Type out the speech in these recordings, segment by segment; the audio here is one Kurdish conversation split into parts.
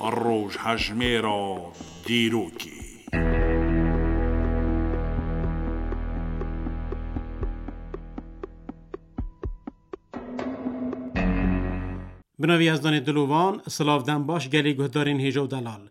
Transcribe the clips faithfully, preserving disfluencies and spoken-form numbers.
Rojhejmêra dîrokê. Bi navî Yezdanê Dilovan, silav dem baş gelê guhdarên hêja û delal.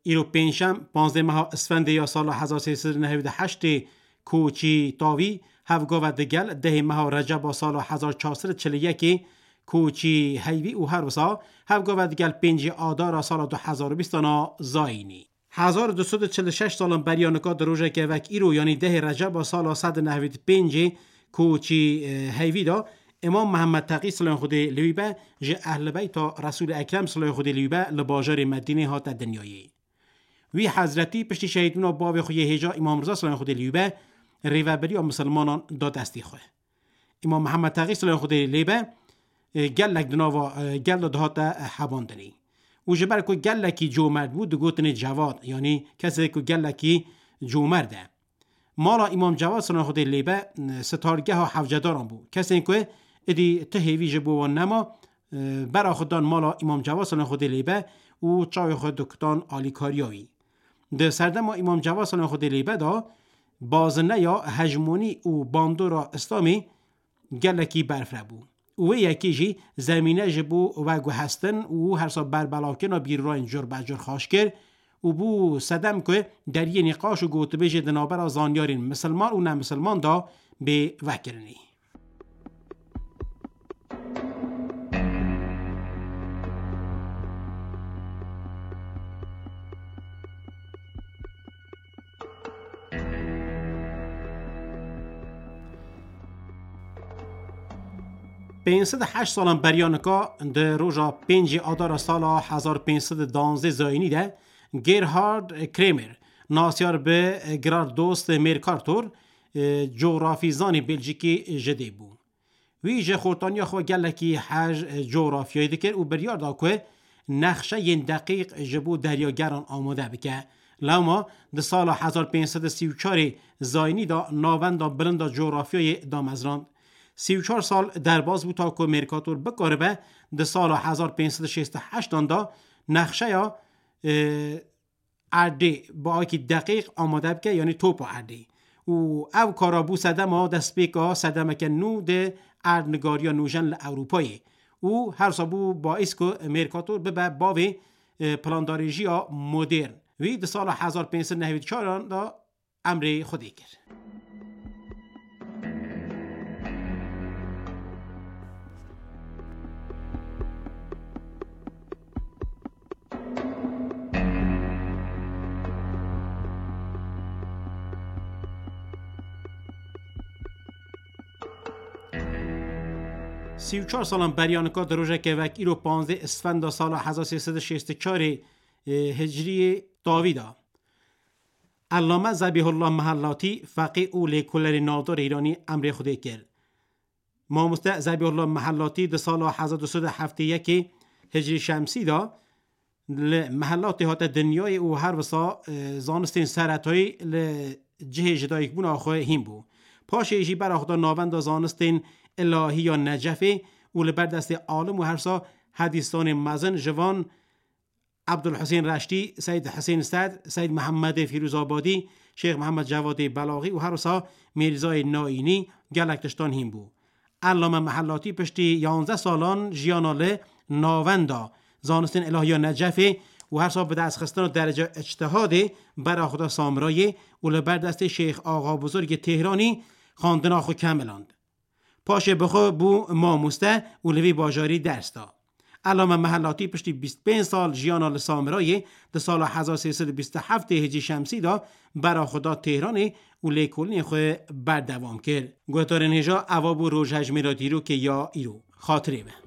Îro pêncşem, panzdeh meha Isfendê ya sala hezar sê sed û nehewî û heştê koçî tavî, hevgava digel dehê meha Receba sala hezar çar sed û çil û yekê koçî heyvî û her wisa hevgava digel pêncê Adara sala du hezar û bîstan a zayînî. Hezar du sed û çil û şeş salan beriya nika di rojeke wek îro, yanî dehê Receba sala sed û nehewî û pêncê koçî, e, heyvî de Îmam Mihemed Teqî, silayên Xwedê li wî be, ji Ehlî Beyta Resûlê Ekrem, silayên Xwedê li wî be, li bajarê Medînê hate dinyayê. Wî hezretî piştî şehîdbûna bavê xwe yê hêja Îmam Riza, silayên Xwedê li wî be, rêvebiriya misilmanan da destê xwe. Îmam Mihemed Teqî, silayên Xwedê lê be, e, gelek di nava, e, gel de dihate, e, hebandinê. Û ji ber ku gelekî comerd bû, digotinê Cewad, yanî kesê ku gelekî comerd e. Mala Îmam Cewad, silayên Xwedê lê be, e, sitargeha hewcedaran bû. Kesên ku êdî ti hêvî ji bo wan nema, e, bera xwe dan mala Îmam Cewad, silayên Xwedê lê be, û çavê xwe dikutan alîkariya wî. Di serdema Îmam Cewad, silayên Xwedê lê be, de bazineya hejmonî û bandora Îslamê gelekî berfireh bû. Û wê yekê jî zemîne ji bo veguhestin û hersa berbelavkirina bîrrayên cur be cur xaş kir û bû sedem ku deriyê nîqaş û gotibêjê di navbera zanyarên misilman û nemisilman de bê vekirinê. Pênc sed û heşt salan beriya nika, di roja pêncê Adara sala hezar pênc sed û danzdeh zayînî de, Gerhard Kremer, nasyar bi Gerhard Dost Mercator, e, cografîzanê Belcîkî ji dê bû. Wî ji xortaniya xwe gelekî hej, e, cografyayê dikir û biryar da ku nexşeyên deqîq ji bo deryageran amade bike. Lewma di sala hezar pênc sed û sî û çarê zayînî de navenda bilind a cografyayê damezrand. Sî û çar sal derbas bû ta ku Mercator bikaribe di sala hezar pênc sed û şêst û heştan de nexşeya, e, erdê bi awekî deqîq amade bike, yanî topa erdê. Û ev kara bû sedema destpêka sedemeke nû di erdnigariya nûjen li Ewropayê. Û her wisa bû baîs ku Mercator bibe bavê, e, plandarêjiya modern. Wî di sala hezar pênc sed nehwî çaran de emrê Xwedê kir. Sî û çar salan beriya nika di rojeke wek îro panzdeh Isfenda sala hezar sê sed û şêst û çarê, e, Hicriyê tavî de Ellame Zebîhullah Mehellatî, feqî û lêkolerê navdar îranî emrê Xwedê kir. Mamoste Zebîhullah Mehellatî di sala hezar du sed û heftê yekê Hicriyê Şemsî de li Mehellatê hate dinyayê û her wisa, e, zanistên seretayî li cihê ji dayikbûna xwe hîn bû. Paşê jî bera xwe da navenda zanistên îlahî ya Necefê û li ber destê alim û her wisa hedîsanên mezin ji van Ebdulhusên Reştî, Seyd Husên Sed, Seyd Mihemedê Fîrûzabadî, Şêx Mihemed Cevadê Belaxî û her wisa Mîrzayê Naînî gelek tiştan hîn bû. Ellame Mehellatî piştî yanzdeh salan jiyana li navenda zanistên îlahiya Necefê û her wisa bi destxistina derece îctihadê bera xwe da Samirayê û li ber destê Şêx Axa Buzurgê Têhranî xwendina xwe kemiland. Paşê bi xwe bû mamoste û li vî bajarî ders da. Ellame Mehellatî piştî bîst pênc sal jiyana li Samirayê di sala hezar sê sed û bîst û heftê Hicriyê Şemsî de bera xwe da Têhranê û lêkolînê xwe berdewam kir. Guhdarên hêja, eva bû rojhejmêra dîrokê ya îro. Xatirê me.